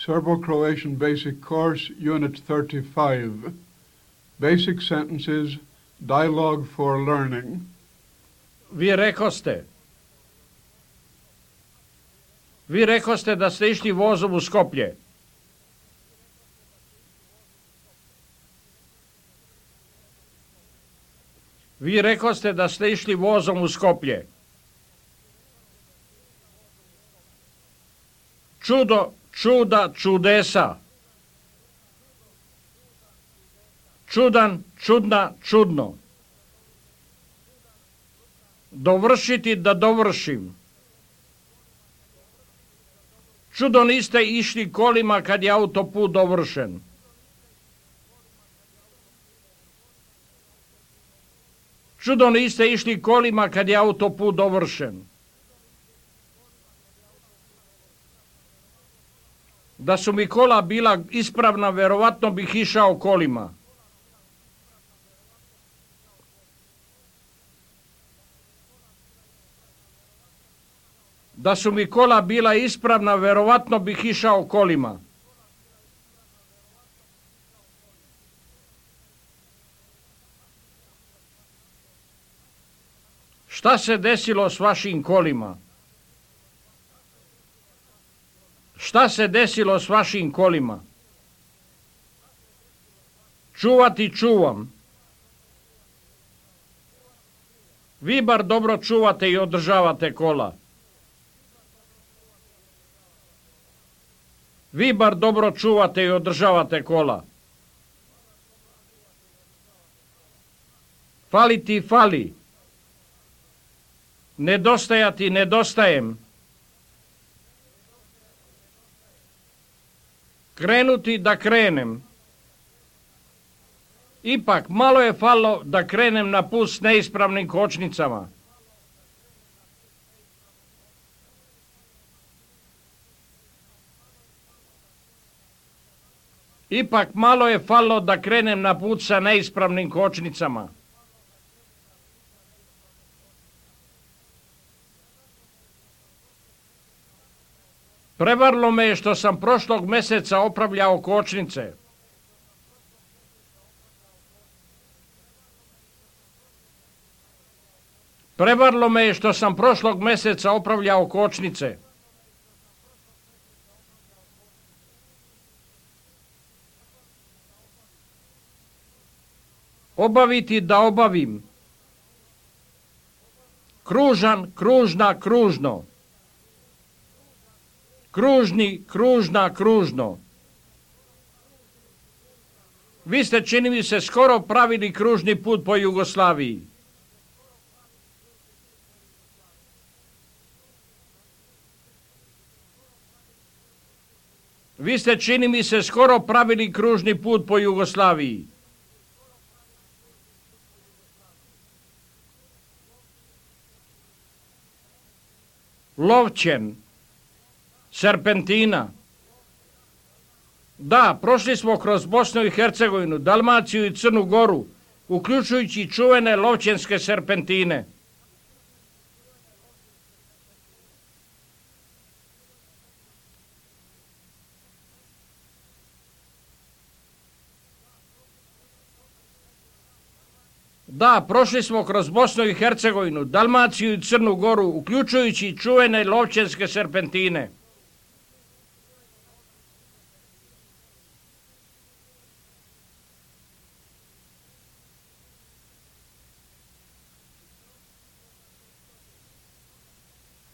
Serbo-Croatian Basic Course, Unit 35. Basic Sentences, Dialogue for Learning. Vi rekoste da ste išli vozom u Skoplje. Vi rekoste da ste išli vozom u Skoplje. Čudo, čuda, čudesa. Čudan, čudna, čudno. Dovršiti, da dovršim. Čudo niste išli kolima kad je autoput dovršen. Čudo niste išli kolima kad je autoput dovršen. Da su mi kola bila ispravna, verovatno bih išao kolima. Da su mi kola bila ispravna, verovatno bih išao kolima. Šta se desilo s vašim kolima? Šta se desilo s vašim kolima? Čuvati čuvam. Vi bar dobro čuvate i održavate kola. Vi bar dobro čuvate i održavate kola. Faliti fali. Nedostajati nedostajem. Krenuti da krenem. Ipak malo je falilo da krenem na put s neispravnim kočnicama. Ipak malo je falilo da krenem na put sa neispravnim kočnicama. Prevarilo me je što sam prošlog meseca opravljao kočnice. Prevarilo me je što sam prošlog meseca opravljao kočnice. Obaviti da obavim. Kružan, kružna, kružno. Kružni, kružna, kružno. Vi ste, čini mi se, skoro pravili kružni put po Jugoslaviji. Vi ste, čini mi se, skoro pravili kružni put po Jugoslaviji. Lovćen. Serpentina. Da, prošli smo kroz Bosnu i Hercegovinu, Dalmaciju i Crnu Goru, uključujući čuvene lovćenske serpentine. Da, prošli smo kroz Bosnu i Hercegovinu, Dalmaciju i Crnu Goru, uključujući čuvene lovćenske serpentine.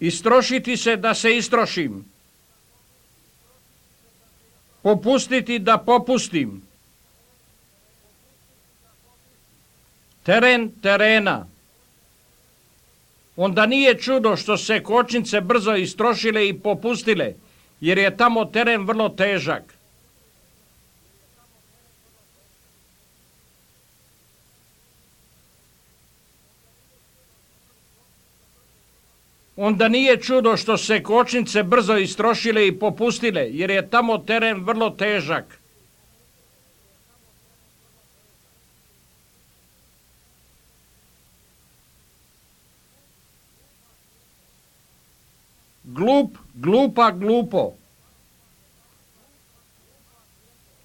Istrošiti se da se istrošim. Popustiti da popustim. Teren terena. Onda nije čudo što se kočnice brzo istrošile i popustile, jer je tamo teren vrlo težak. Onda nije čudo što se kočnice brzo istrošile i popustile, jer je tamo teren vrlo težak. Glup, glupa, glupo.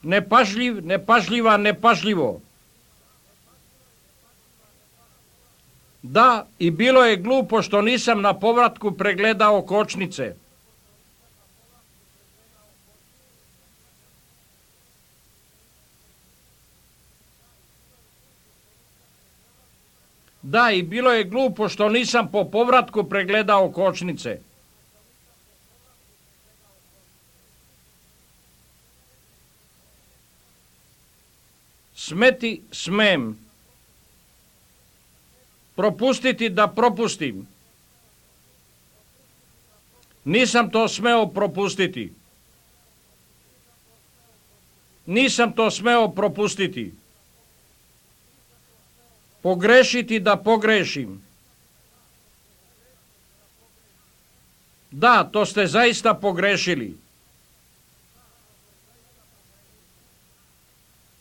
Nepažljiv, nepažljiva, nepažljivo. Da, i bilo je glupo što nisam na povratku pregledao kočnice. Da, i bilo je glupo što nisam po povratku pregledao kočnice. Smeti, smem. Propustiti da propustim. Nisam to smeo propustiti. Nisam to smeo propustiti. Pogrešiti da pogrešim. Da, to ste zaista pogrešili.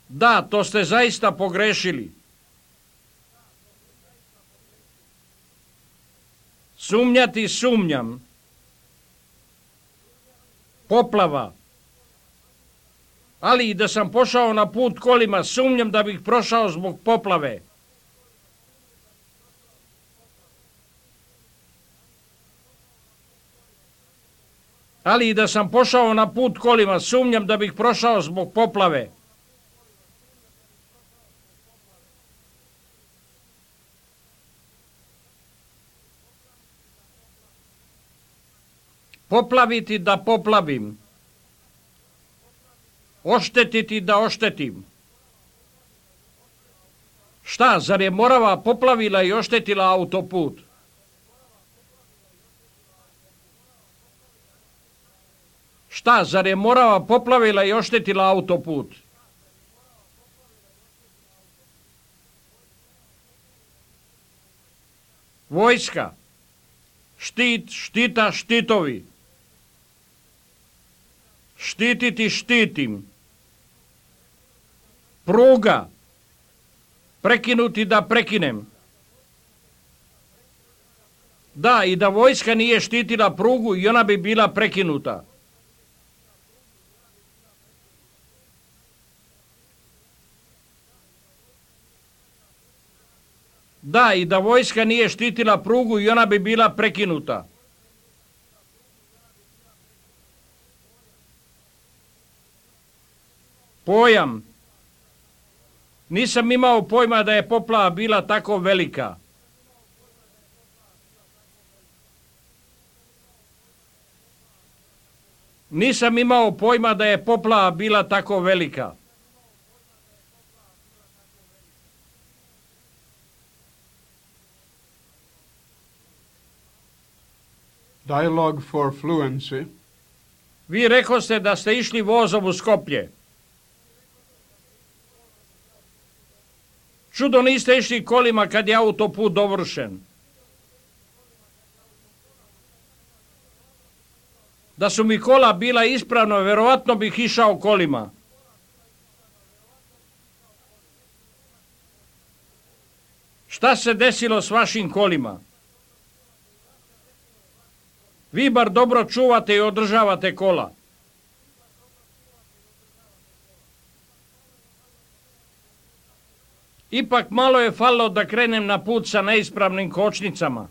Da, to ste zaista pogrešili. Sumnjati, sumnjam. Poplava. Ali i da sam pošao na put kolima, sumnjam da bih prošao zbog poplave. Ali i da sam pošao na put kolima, sumnjam da bih prošao zbog poplave. Poplaviti da poplavim. Oštetiti da oštetim. Šta, zar je Morava poplavila i oštetila autoput? Šta, zar je Morava poplavila i oštetila autoput? Vojska. Štit, štita, štitovi. Štititi, štitim. Pruga. Prekinuti da prekinem. Da, i da vojska nije štitila prugu i ona bi bila prekinuta. Da, i da vojska nije štitila prugu i ona bi bila prekinuta. Pojam. Nisam imao pojma da je poplava bila tako velika. Nisam imao pojma da je poplava bila tako velika. Dialogue for fluency. Vi rekoste da ste išli vozom u Skoplje. Čudo niste išli kolima kad je autoput dovršen. Da su mi kola bila ispravna, verovatno bih išao kolima. Šta se desilo s vašim kolima? Vi bar dobro čuvate i održavate kola. Ipak malo je falilo da krenem na put sa neispravnim kočnicama.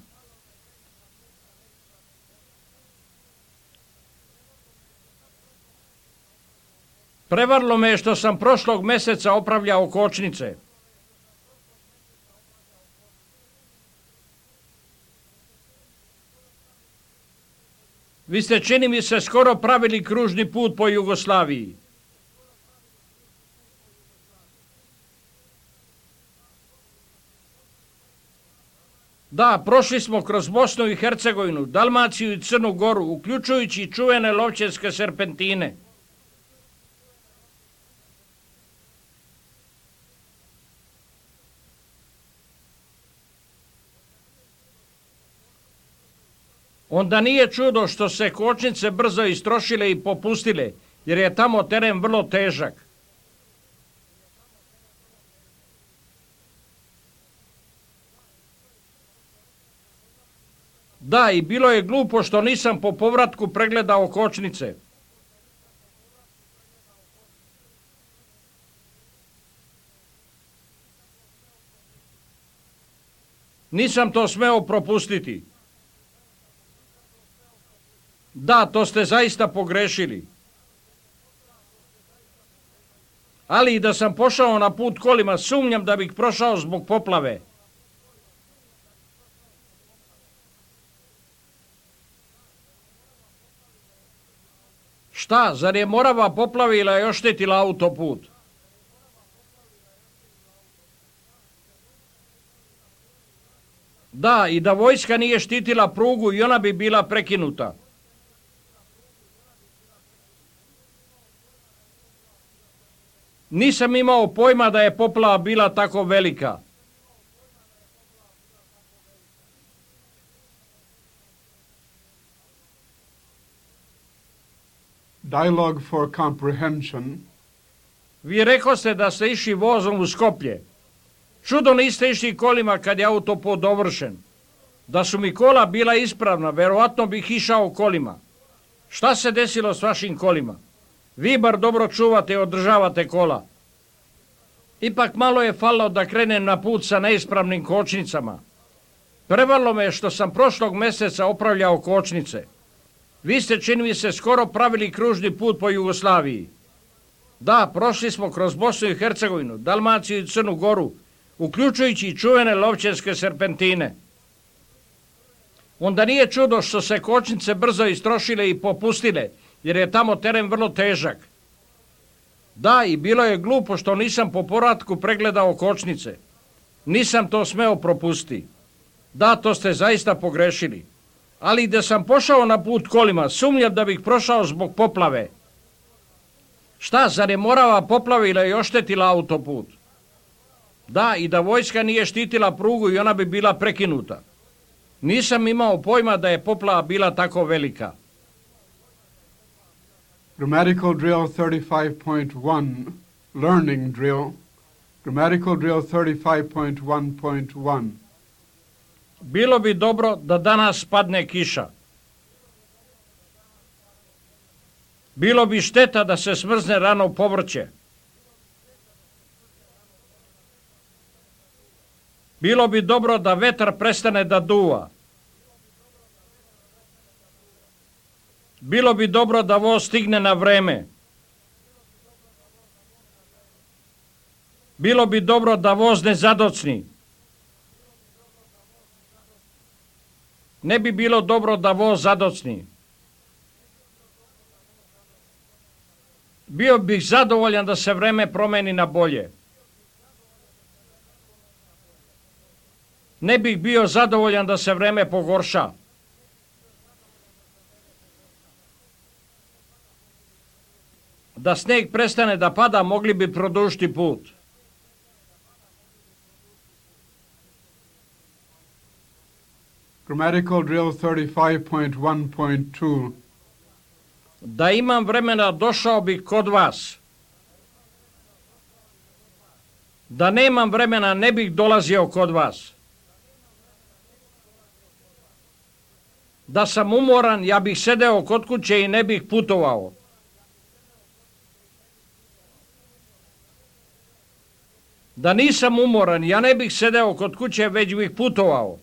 Prevarilo me je što sam prošlog meseca opravljao kočnice. Vi ste, čini mi se, skoro pravili kružni put po Jugoslaviji. Da, prošli smo kroz Bosnu i Hercegovinu, Dalmaciju i Crnu Goru, uključujući i čuvene lovčevske serpentine. Onda nije čudo što se kočnice brzo istrošile i popustile, jer je tamo teren vrlo težak. Da, i bilo je glupo što nisam po povratku pregledao kočnice. Nisam to smeo propustiti. Da, to ste zaista pogrešili. Ali i da sam pošao na put kolima, sumnjam da bih prošao zbog poplave. Šta, zar je Morava poplavila i oštetila autoput? Da, i da vojska nije štitila prugu i ona bi bila prekinuta. Nisam imao pojma da je poplava bila tako velika. Dialogue for comprehension. Vi rekoste da ste išli vozom u Skoplje. Čudo niste išli kolima kad je autoput dovršen. Da su mi kola bila ispravna, verovatno bih išao kolima. Šta se desilo s vašim kolima? Vi bar dobro čuvate i održavate kola. Ipak malo je falilo da krenem na put sa neispravnim kočnicama. Prevarilo me što sam prošlog meseca opravljao kočnice. Vi ste, čini mi se, skoro pravili kružni put po Jugoslaviji. Da, prošli smo kroz Bosnu i Hercegovinu, Dalmaciju i Crnu Goru, uključujući i čuvene Lovćenske serpentine. Onda nije čudo što se kočnice brzo istrošile i popustile, jer je tamo teren vrlo težak. Da, i bilo je glupo što nisam po povratku pregledao kočnice. Nisam to smeo propustiti. Da, to ste zaista pogrešili. Ali da sam pošao na put kolima, sumnjam da bih prošao zbog poplave. Šta, zar je Morava poplavila i oštetila autoput? Da, i da vojska nije štitila prugu i ona bi bila prekinuta. Nisam imao pojma da je poplava bila tako velika. Grammatical drill 35.1, learning drill. Grammatical drill 35.1.1. Bilo bi dobro da danas padne kiša. Bilo bi šteta da se smrzne rano povrće. Bilo bi dobro da vetar prestane da duva. Bilo bi dobro da voz stigne na vreme. Bilo bi dobro da voz ne zadocni. Ne bi bilo dobro da voz zadocni. Bio bih zadovoljan da se vreme promeni na bolje. Ne bih bio zadovoljan da se vreme pogorša. Da sneg prestane da pada, mogli bi produžiti put. Grammatical drill 35.1.2. Da imam vremena, došao bih kod vas. Da nemam vremena, ne bih dolazio kod vas. Da sam umoran, ja bih sedeo kod kuće i ne bih putovao. Da nisam umoran, ja ne bih sedeo kod kuće, već bih putovao.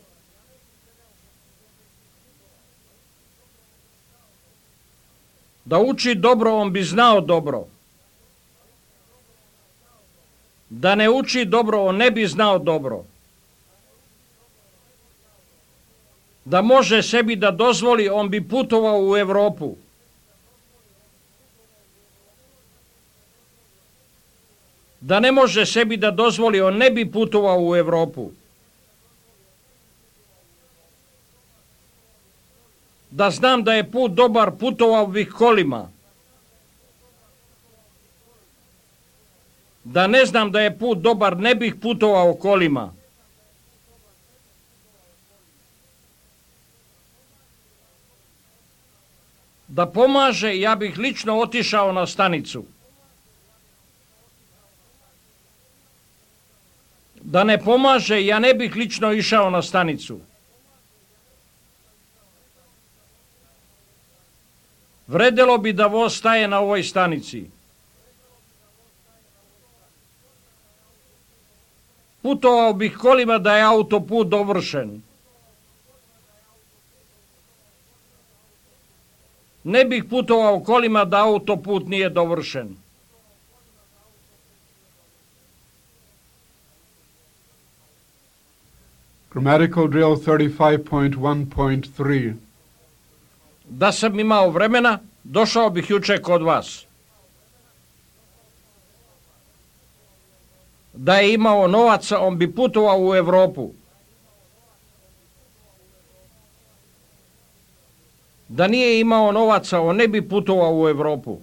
Da uči dobro, on bi znao dobro. Da ne uči dobro, on ne bi znao dobro. Da može sebi da dozvoli, on bi putovao u Evropu. Da ne može sebi da dozvoli, on ne bi putovao u Evropu. Da znam da je put dobar, putovao bih kolima. Da ne znam da je put dobar, ne bih putovao kolima. Da pomaže, ja bih lično otišao na stanicu. Da ne pomaže, ja ne bih lično išao na stanicu. Vredelo bi da voz staje na ovoj stanici. Putovao bih kolima da je autoput dovršen. Ne bih putovao kolima da autoput nije dovršen. Grammatical drill 35.1.3. Da sam imao vremena, došao bih juče kod vas. Da je imao novaca, on bi putovao u Europu. Da nije imao novaca, on ne bi putovao u Europu.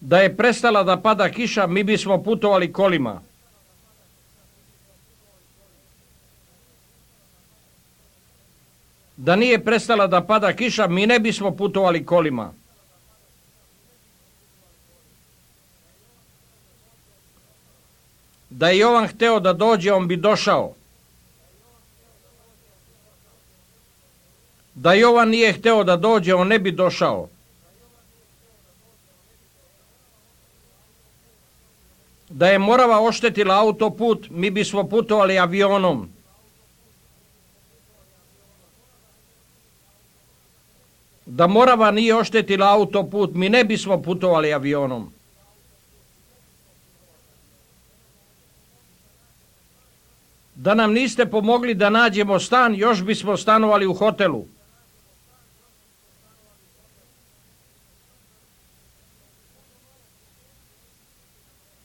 Da je prestala da pada kiša, mi bismo putovali kolima. Da nije prestala da pada kiša, mi ne bismo putovali kolima. Da je Jovan hteo da dođe, on bi došao. Da Jovan nije hteo da dođe, on ne bi došao. Da je Morava oštetila autoput, mi bismo putovali avionom. Da Morava nije oštetila autoput, mi ne bismo putovali avionom. Da nam niste pomogli da nađemo stan, još bismo stanovali u hotelu.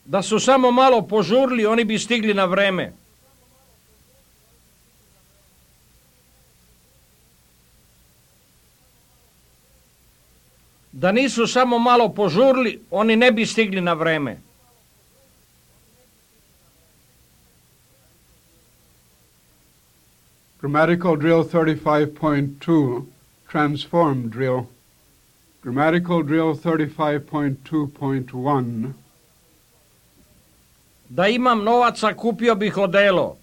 Da su samo malo požurili, oni bi stigli na vreme. Da nisu samo malo požurili, oni ne bi stigli na vreme. Grammatical drill 35.2. Transform drill. Grammatical drill 35.2.1. Da imam novaca, kupio bih odelo.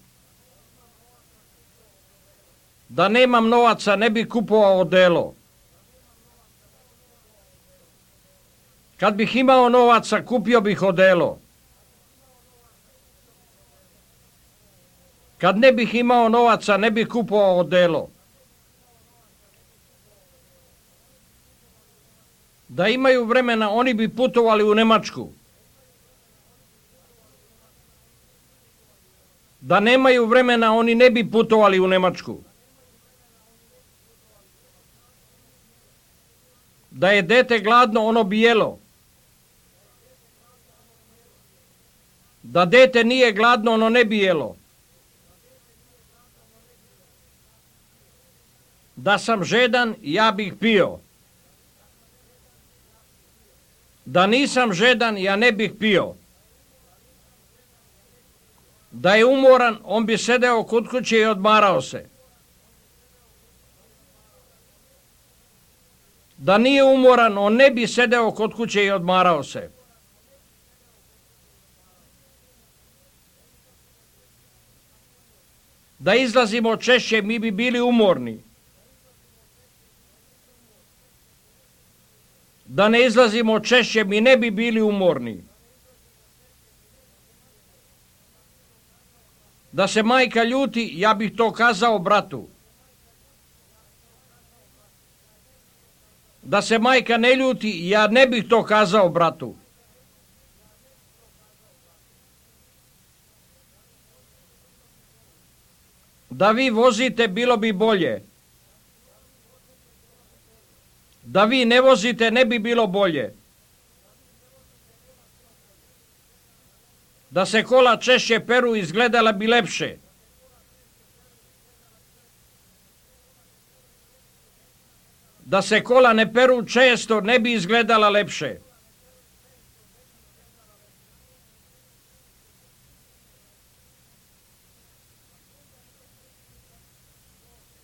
Da nemam novaca, ne bih kupovao odelo. Kad bih imao novaca, kupio bih odelo. Kad ne bih imao novaca, ne bih kupovao odelo. Da imaju vremena, oni bi putovali u Nemačku. Da nemaju vremena, oni ne bi putovali u Nemačku. Da je dete gladno, ono bi jelo. Da dete nije gladno, ono ne bi jelo. Da sam žedan, ja bih pio. Da nisam žedan, ja ne bih pio. Da je umoran, on bi sedeo kod kuće i odmarao se. Da nije umoran, on ne bi sedeo kod kuće i odmarao se. Da izlazimo češće, mi bi bili umorni. Da ne izlazimo češće, mi ne bi bili umorni. Da se majka ljuti, ja bih to kazao bratu. Da se majka ne ljuti, ja ne bih to kazao bratu. Da vi vozite, bilo bi bolje. Da vi ne vozite, ne bi bilo bolje. Da se kola češće peru, izgledala bi lepše. Da se kola ne peru često, ne bi izgledala lepše.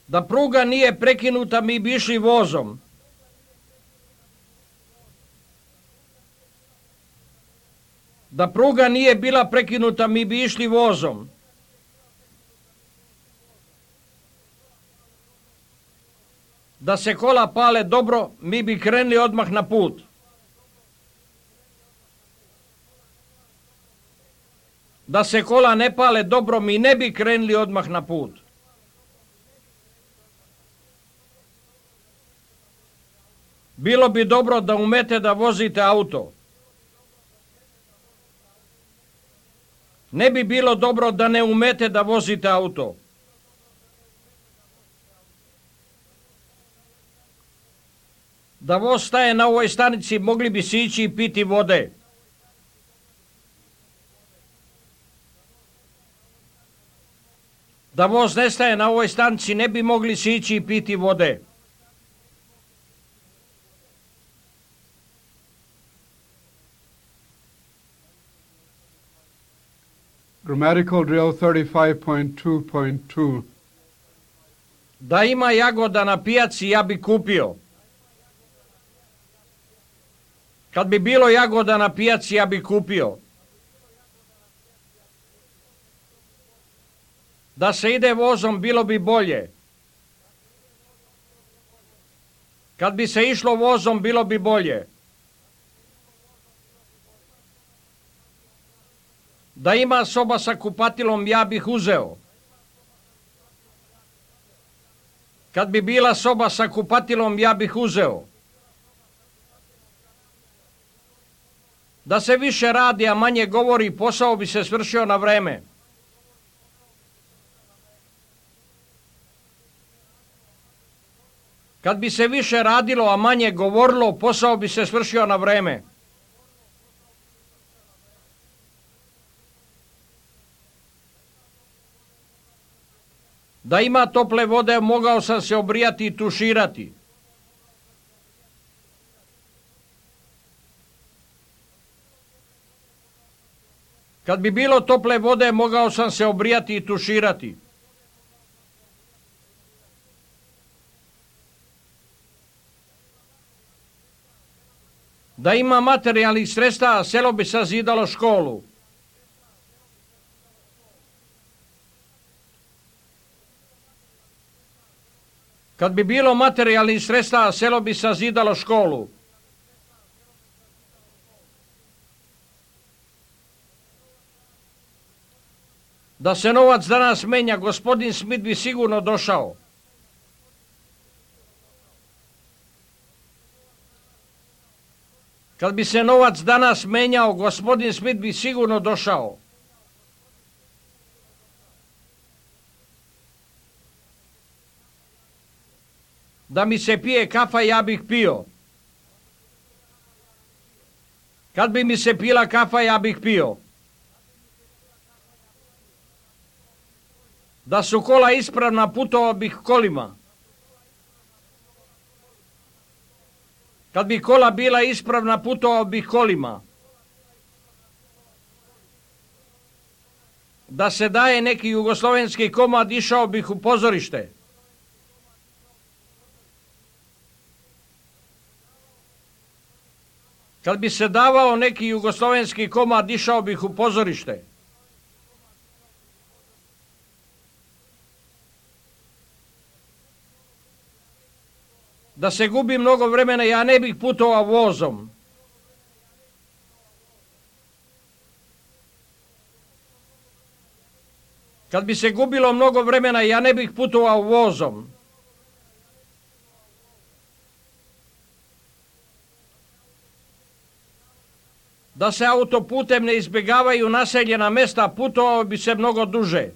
Da pruga nije prekinuta, mi bi išli vozom. Da pruga nije bila prekinuta, mi bi išli vozom. Da se kola pale dobro, mi bi krenuli odmah na put. Da se kola ne pale dobro, mi ne bi krenuli odmah na put. Bilo bi dobro da umete da vozite auto. Ne bi bilo dobro da ne umete da vozite auto. Da voz staje na ovoj stanici, mogli bi si ići i piti vode. Da voz ne staje na ovoj stanici, ne bi mogli si ići i piti vode. Grammatical drill 35.2.2. Da ima jagoda na pijaci, ja bi kupio. Kad bi bilo jagoda na pijaci, ja bi kupio. Da se ide vozom, bilo bi bolje. Kad bi se išlo vozom, bilo bi bolje. Da ima soba sa kupatilom, ja bih uzeo. Kad bi bila soba sa kupatilom, ja bih uzeo. Da se više radi, a manje govori, posao bi se svršio na vreme. Kad bi se više radilo, a manje govorilo, posao bi se svršio na vreme. Da ima tople vode, mogao sam se obrijati i tuširati. Kad bi bilo tople vode, mogao sam se obrijati i tuširati. Da ima materijalnih sredstava, selo bi sazidalo školu. Kad bi bilo materijalnih sredstava, selo bi sazidalo školu. Da se novac danas menja, gospodin Smith bi sigurno došao. Kad bi se novac danas menjao, gospodin Smith bi sigurno došao. Da mi se pije kafa, ja bih pio. Kad bi mi se pila kafa, ja bih pio. Da su kola ispravna, putovao bih kolima. Kad bi kola bila ispravna, putovao bih kolima. Da se daje neki jugoslovenski komad, išao bih u pozorište. Kad bi se davao neki jugoslovenski komad, išao bih u pozorište. Da se gubi mnogo vremena, ja ne bih putovao vozom. Kad bi se gubilo mnogo vremena, ja ne bih putovao vozom. Da se autoputem ne izbjegavaju naseljena mesta, putovao bi se mnogo duže.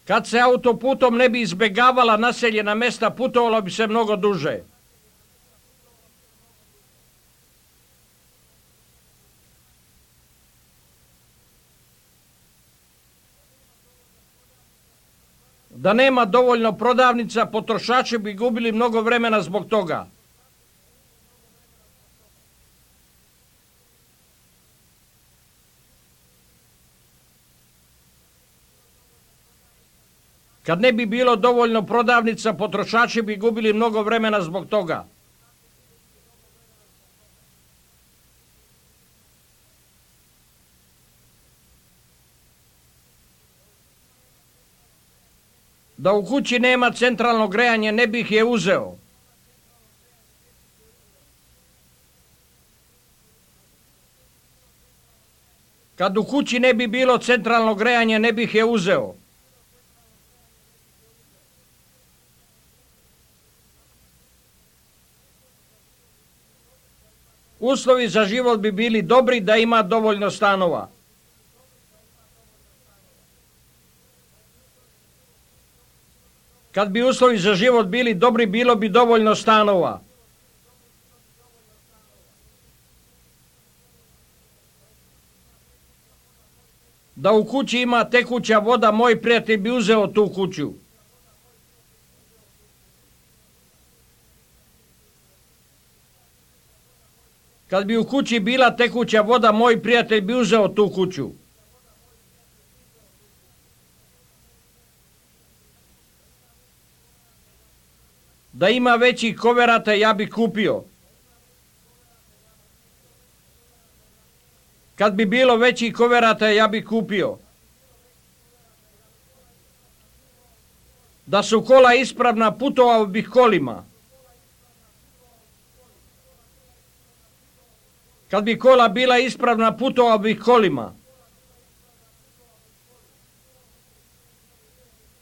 Kad se autoputom ne bi izbjegavala naseljena mesta, putovalo bi se mnogo duže. Da nema dovoljno prodavnica, potrošači bi gubili mnogo vremena zbog toga. Kad ne bi bilo dovoljno prodavnica, potrošači bi gubili mnogo vremena zbog toga. Da u kući nema centralno grejanje, ne bih je uzeo. Kad u kući ne bi bilo centralno grejanje, ne bih je uzeo. Uslovi za život bi bili dobri da ima dovoljno stanova. Kad bi uslovi za život bili dobri, bilo bi dovoljno stanova. Da u kući ima tekuća voda, moj prijatelj bi uzeo tu kuću. Kad bi u kući bila tekuća voda, moj prijatelj bi uzeo tu kuću. Da ima većih koverata, ja bi kupio. Kad bi bilo većih koverata, ja bi kupio. Da su kola ispravna, putovao bih kolima. Kad bi kola bila ispravna, putovao bih kolima.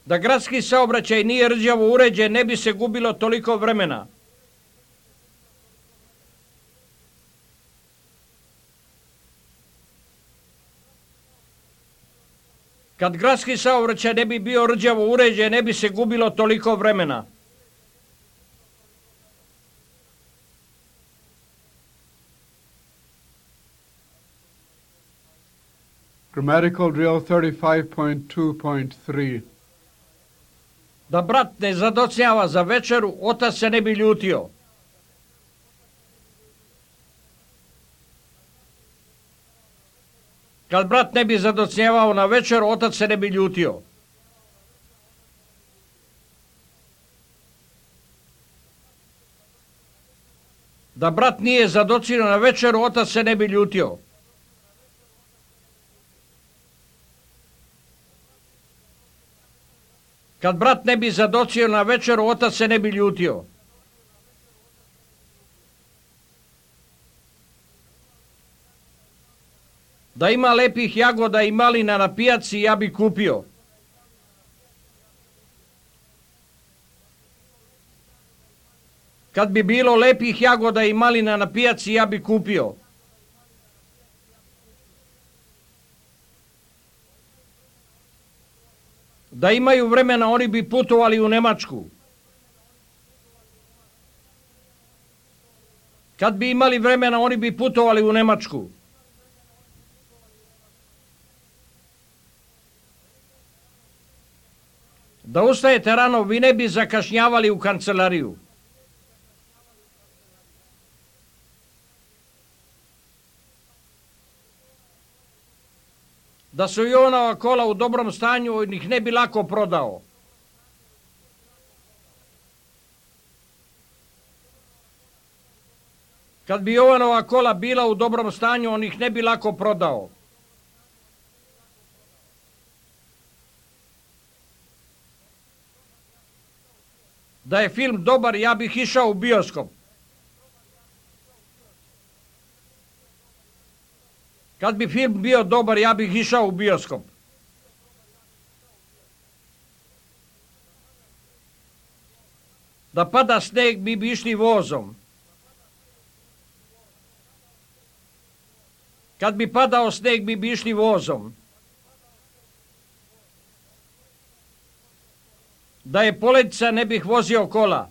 Da gradski saobraćaj nije rđavo uređen, ne bi se gubilo toliko vremena. Kad gradski saobraćaj ne bi bio rđavo uređen, ne bi se gubilo toliko vremena. Grammatical drill 35.2.3. Da brat ne zadocnjava za večeru, otac se ne bi ljutio. Kad brat ne bi zadocnjavao na večeru, otac se ne bi ljutio. Da brat nije zadocnio na večeru, otac se ne bi ljutio. Kad brat ne bi zadocio na večeru, otac se ne bi ljutio. Da ima lepih jagoda i malina na pijaci, ja bi kupio. Kad bi bilo lepih jagoda i malina na pijaci, ja bi kupio. Da imaju vremena, oni bi putovali u Nemačku. Kad bi imali vremena, oni bi putovali u Nemačku. Da ustajete rano, vi ne bi zakašnjavali u kancelariju. Da su Jovanova kola u dobrom stanju, on ih ne bi lako prodao. Kad bi Jovanova kola bila u dobrom stanju, on ih ne bi lako prodao. Da je film dobar, ja bih išao u bioskop. Kad bi film bio dobar, ja bih išao u bioskop. Da pada sneg, mi bi išli vozom. Kad bi padao sneg, mi bi išli vozom. Da je poledica, ne bih vozio kola.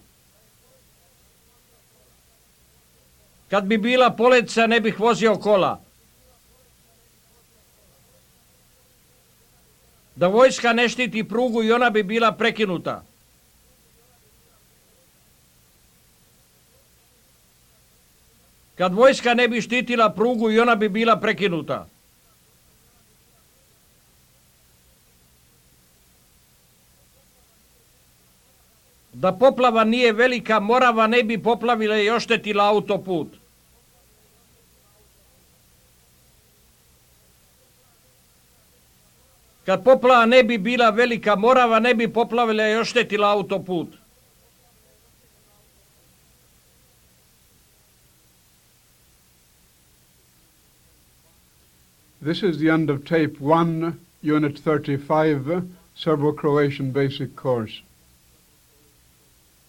Kad bi bila poledica, ne bih vozio kola. Da vojska ne štiti prugu i ona bi bila prekinuta. Kad vojska ne bi štitila prugu i ona bi bila prekinuta. Da poplava nije velika, Morava ne bi poplavila i oštetila autoput. Kad poplava ne bi bila velika, Morava ne bi poplavila i oštetila autoput. This is the end of Tape 1, Unit 35, Serbo-Croatian Basic Course.